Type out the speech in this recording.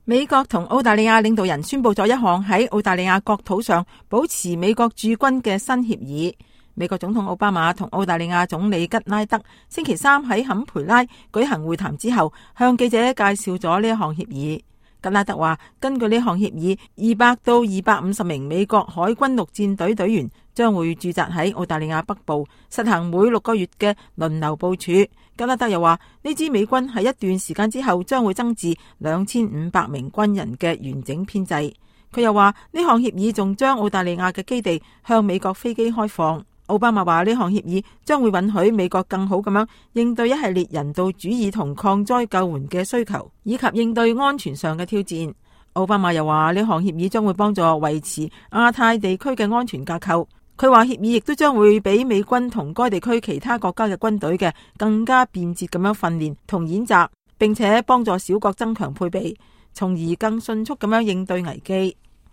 美國同澳大利亞領導人宣布咗一項喺澳大利亞國土上保持美國駐軍嘅新協議。美國總統奧巴馬同澳大利亞總理吉拉德星期三喺坎培拉舉行會談之後，向記者介紹咗呢一項協議。吉拉德話，根據呢項協議，200到250名美國海軍陸戰隊隊員將會駐紮喺澳大利亞北部，實行每6個月嘅輪流部署。吉拉德又話，呢支美軍喺一段時間之後將會增至2500名軍人嘅完整編制。佢又話，呢項協議仲將澳大利亞嘅基地向美國飛機開放。奧巴馬話，呢項協議將會允許美國更好咁樣應對一系列人道主義同抗災救援嘅需求，以及應對安全上嘅挑戰。奧巴馬又話，呢項協議將會幫助維持亞太地區嘅安全架構。佢話，協議亦都將會俾美軍同該地區其他國家嘅軍隊嘅更加便捷咁樣訓練同演習，並且幫助小國增強配備，從而更迅速咁樣應對危機。